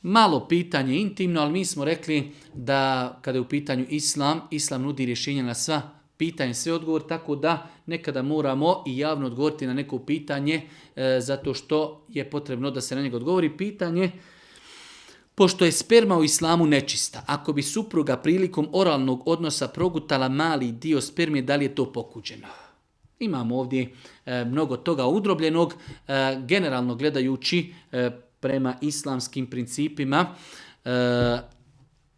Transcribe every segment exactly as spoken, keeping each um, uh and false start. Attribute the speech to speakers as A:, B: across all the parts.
A: malo pitanje intimno, ali mi smo rekli da kada je u pitanju islam, islam nudi rješenja na sva pitanje, sve odgovor, tako da nekada moramo i javno odgovoriti na neko pitanje, e, zato što je potrebno da se na njega odgovori. Pitanje, pošto je sperma u islamu nečista, ako bi supruga prilikom oralnog odnosa progutala mali dio spermije, da li je to pokuđeno? Imamo ovdje e, mnogo toga udrobljenog, e, generalno gledajući e, prema islamskim principima, e,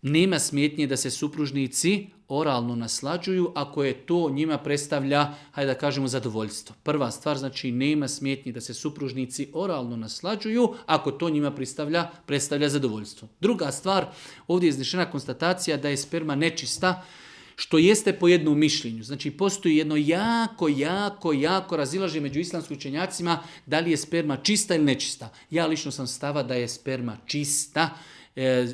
A: nema smetnje da se supružnici oralno naslađuju ako je to njima predstavlja, hajde da kažemo, zadovoljstvo. Prva stvar, znači nema smetnje da se supružnici oralno naslađuju ako to njima predstavlja, predstavlja zadovoljstvo. Druga stvar, ovdje je iznešena konstatacija da je sperma nečista, što jeste po jednom mišljenju. Znači postoji jedno jako, jako, jako razilaženje među islamskim učenjacima da li je sperma čista ili nečista. Ja lično sam stava da je sperma čista, E,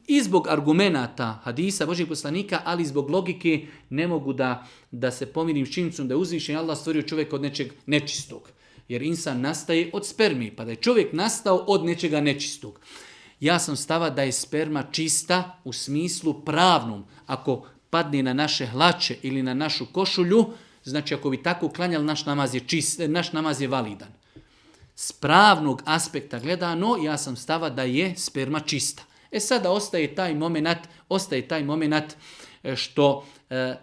A: i zbog argumenata hadisa Božih poslanika, ali i zbog logike ne mogu da, da se pomirim s činjenicom da je uzvišen Allah stvorio čovjeka od nečeg nečistog. Jer insan nastaje od spermi, pa da je čovjek nastao od nečega nečistog. Ja sam stava da je sperma čista u smislu pravnom. Ako padne na naše hlače ili na našu košulju, znači ako bi tako klanjali, naš namaz je, čist, naš namaz je validan. S pravnog aspekta gledano, ja sam stava da je sperma čista. E sada ostaje taj moment, ostaje taj moment što e, e,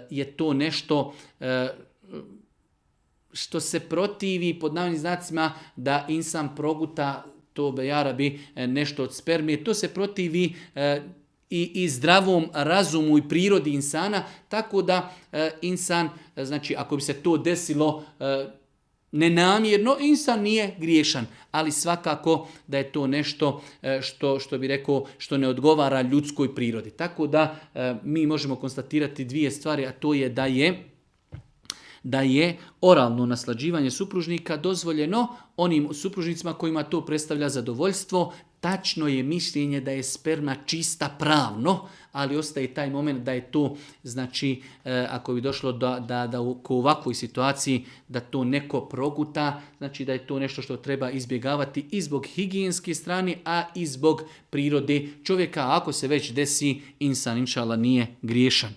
A: je to nešto e, što se protivi pod navodnim znacima da insan proguta to bejarabi nešto od spermije. To se protivi e, i, i zdravom razumu i prirodi insana, tako da e, insan, znači ako bi se to desilo e, nenamjerno, insan nije griješan, ali svakako da je to nešto što, što bi rekao, što ne odgovara ljudskoj prirodi. Tako da mi možemo konstatirati dvije stvari, a to je da je da je oralno naslađivanje supružnika dozvoljeno onim supružnicima kojima to predstavlja zadovoljstvo. Tačno je mišljenje da je sperma čista pravno, ali ostaje taj moment da je to, znači, ako bi došlo da, da, da u ovakvoj situaciji da to neko proguta, znači da je to nešto što treba izbjegavati i zbog higijenske strane, a i zbog prirode čovjeka. Ako se već desi, insan inšala nije griješan.